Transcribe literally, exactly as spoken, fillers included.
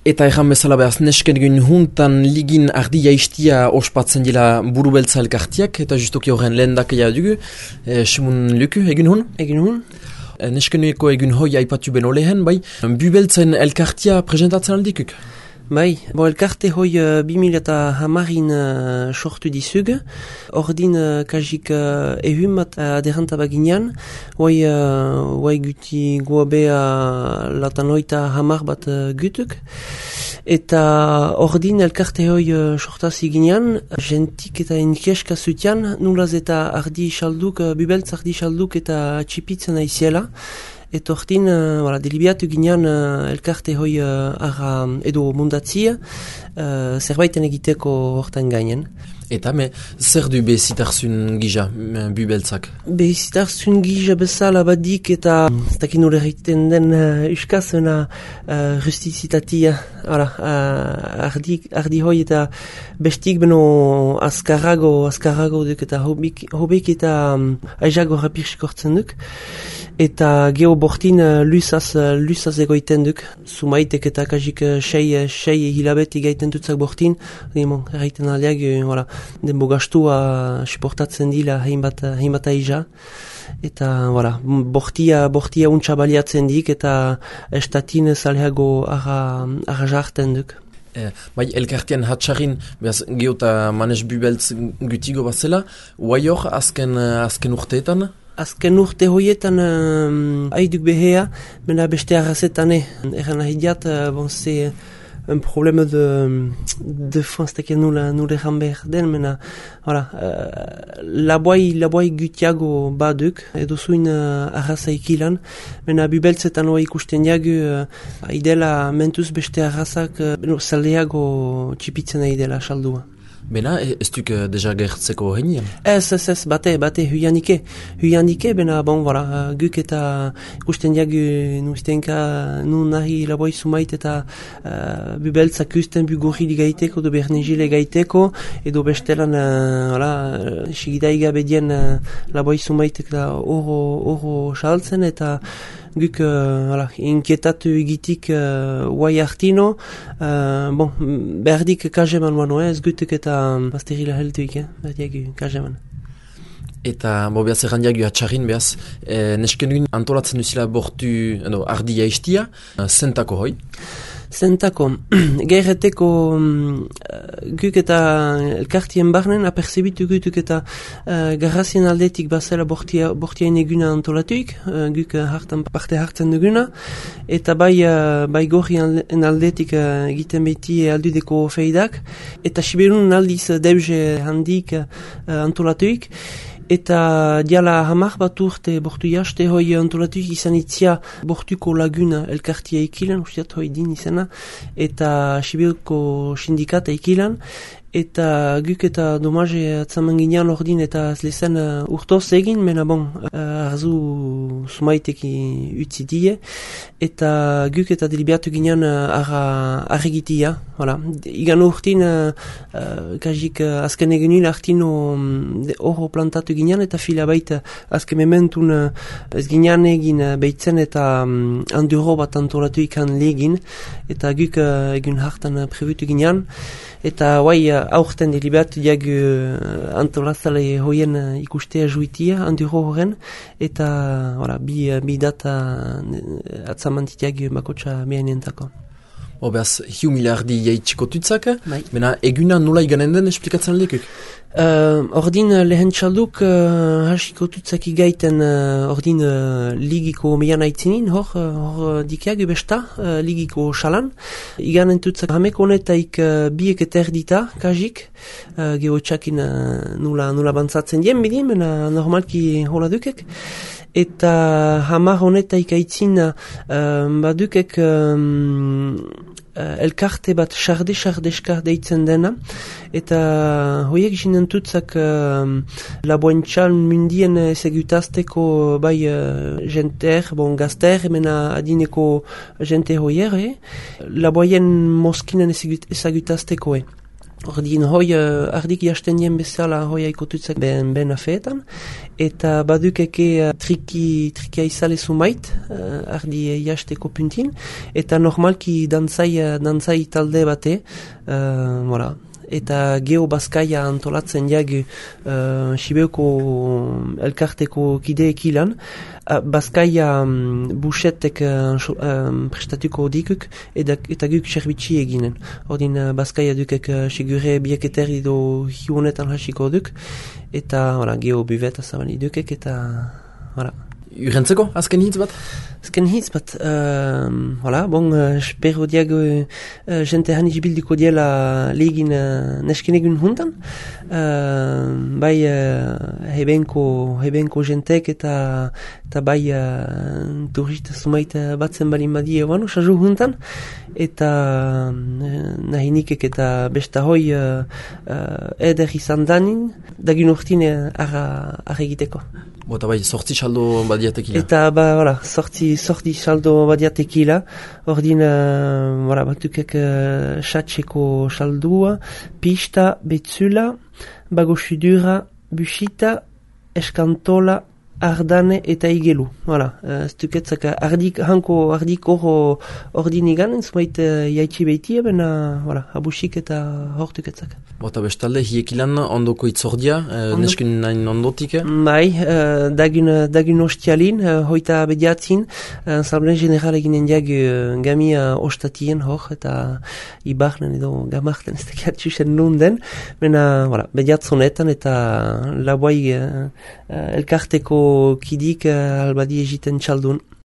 Eta erran bezala behaz, nesken egin huntan ligin ardi jaistia ospatzen dila burubeltza elkartiak, eta justoki horren lehen dakia dugu, e, Simon Luku, egin hun? Egin hun. E, neskenueko egin hoi aipatu beno lehen, bai, bubeltzen elkartia presentatzen aldikuk? Bai, bo elkarte hoi uh, bi mila eta hamarin uh, sortu dizug, ordin uh, kajik uh, ehun bat uh, aderanta baginean, hoi uh, guti guabea latan hoita hamar bat uh, gutuk, eta ordin elkarte hoi uh, sortazi ginean, jentik eta enkeska zutian, nulaz eta ardi xalduk, uh, bubeltz ardi xalduk eta txipitzen aiziela, eta hortin, uh, voilà, delibiatu ginean uh, elkarte hoi uh, ara edo mundatzia uh, zerbaiten egiteko hortan gainen. Eta me, zer du bezitarzun gija, bubeltzak? Bezitarzun gija bezala badik eta ez dakin nore egiten den uh, uskazena uh, justizitatia, hala, uh, ardi, ardi hoi eta bestik beno azkarrago, azkarrago duk eta hobik, hobik eta um, aizago rapirsikortzen duk. Eta geho bortin uh, lusaz, uh, lusaz egoiten duk, sumaitek eta kajik uh, sei, sei hilabet egaiten dutzak bortin, erraiten aldeak, uh, voilà, den bogastua uh, suportatzen dila hainbat, hainbat aiza. Eta, voilà, bortia, bortia untsa baliatzen dik eta estatin zaleago arra, arra jarten duk. Eh, bai, elkartian hatxarin, behaz, geota manes bubeltz gutigo bazela, guai hor, azken, azken urteetan? Azken urte hoietan um, haiduk behea, mena beste arrazetane. Eran ahidiat, uh, bon, c'est un problème de, de France, takia nula, nula eran behar den, mena, voilà, uh, laboai, laboai gutiago baduk, edo zuin uh, arraza ikilan, mena bubeltzetan hoa ikusten jagu, uh, idela mentuz beste arrazak, uh, no, zaleago txipitzen idela saldua. Bena, ez duk uh, deja gertzeko henian? Ez, ez, ez, bate, bate, huianike. Huianike, bena, bon, voilà, guk eta ikusten diagu nuztenka nu nahi laboi sumait eta uh, bubeltzak usten bugorri gaiteko, edo bernegile gaiteko, edo bestelan, uh, voilà, sigidaiga bedien uh, laboi sumait eta oro, oro saltzen, eta guk, uh, voilà, inkietatu egitik uh, guai hartino, uh, bon, berdik kajeman mano, ez gutuk eta bazterila helduik, eh? Berdiak kajeman. Eta, bo, behaz, errandiak atxarrin, behaz, e, neskenduin antolatzen duzila bortu, edo, ardi jaistia, zentako hoi? Zentako, gaireteko uh, guk eta elkartien barnen aperzebitu gutuk eta uh, garrazien aldetik bazela bortia, bortiain eguna antolatuik, uh, guk hartan parte hartzen duguna, eta bai, uh, bai gorrien aldetik uh, egiten beti aldudeko feidak, eta siberun aldiz deuze handik uh, antolatuik, eta diala hamar bat urte bortu jaste hoi antolatuik izan itzia bortuko laguna elkartia ikilan, usteat hoi din izena, eta Sibirko sindikata ikilan, eta guk eta domaze atzaman ginean ordin eta zlezen uh, urtoz egin, mena bon, uh, arzu sumaiteki utzi die, eta guk eta delibiatu ginean uh, arregitia, voilà. Igan urtin, uh, uh, kajik uh, azken egenil artino um, horro plantatu ginean, eta fila baita azken mementun uh, ez ginean egin uh, beitzen eta um, anduro bat antolatu ikan legin, eta guk uh, egun hartan uh, prebutu ginean, eta guai uh, aurten deliberatu diag uh, antolazale hoien uh, ikustea juitia, anduro horren, eta voilà, bi, uh, bi data uh, atzamantitiag bakotxa behainentako. O behaz, hiu miliardi jaitxiko tutzak, mena eguna nola iganen den esplikatzen aldekuk? Uh, ordin uh, lehen txalduk uh, hasiko tutzak igaiten uh, ordin uh, ligiko meian aitzinin, hor, uh, hor dikiag besta, uh, ligiko xalan. Iganen tutzak hameko honetaik uh, biek eta erdita, kajik, uh, geho txakin uh, nula, nula bantzatzen dien bidin, mena normalki hola dukek. Eta hamar honetaik aitzin uh, badukek um, uh, elkarte bat sarde-sardeska deitzen dena, eta hoiek jinen tutzak uh, laboentxal mundien ezagutazteko bai uh, jenter, bon gazter, mena adineko jente hoier, eh? Laboien moskinen ezagutazteko, eh? Ordin hoi uh, ardik jasten dien bezala hoi aikotutzak ben, ben afeetan, eta badukeke uh, triki, trikia izale sumait, uh, ardi jasteko puntin, eta normalki dantzai, uh, dantzai talde bate, uh, voilà. Eta geho Baskaia antolatzen jagu uh, Sibeuko elkarteko kideek ilan. Uh, Baskaia um, busetek uh, um, prestatuko dikuk eta, eta guk serbitsi eginen. Ordin uh, Baskaia dukek uh, segure bieketerri do hiunetan hasiko duk. Eta voilà, geho buveta zabali dukek eta voilà. Urentzeko, azken hitz bat? Azken hitz bat, uh, voilà, bon, uh, espero diago uh, jente hani jibildiko diela legin uh, neskenegun hundan. Uh, bai uh, hebenko, hebenko jentek eta, eta bai uh, turista sumait uh, batzen balin badie wano, sajo hundan. Eta uh, nahinikek eta besta hoi uh, uh, eder izan danin, dagin urtine arra, arra egiteko. Bota bai, sortzi saldo badiatekila. Eta, ba, voilà, sorti, sorti saldo badiatekila. Ordin, uh, voilà, batukek uh, satxeko saldua, pista, betzula, bagosudura, busita, eskantola, ardane eta igelu. Voilà, uh, stuketzak ardik, hanko ardik oro ordin iganen, zumait uh, jaitsi behitia, bena, voilà, abusik eta hortuketzak. Bota bestalde, hiekilan ondoko itzordia, eh, Ondo. Neskin nahin ondotik? Bai, uh, dagun, dagun ostialin, uh, hoita bediatzin, uh, Asambleen General eginen diag uh, gamia ostatien hor, eta ibarnen edo gamarten ez tekiatxusen nunden, bena, voilà, bediatzonetan eta laboai uh, uh, elkarteko kidik uh, albadi egiten txaldun.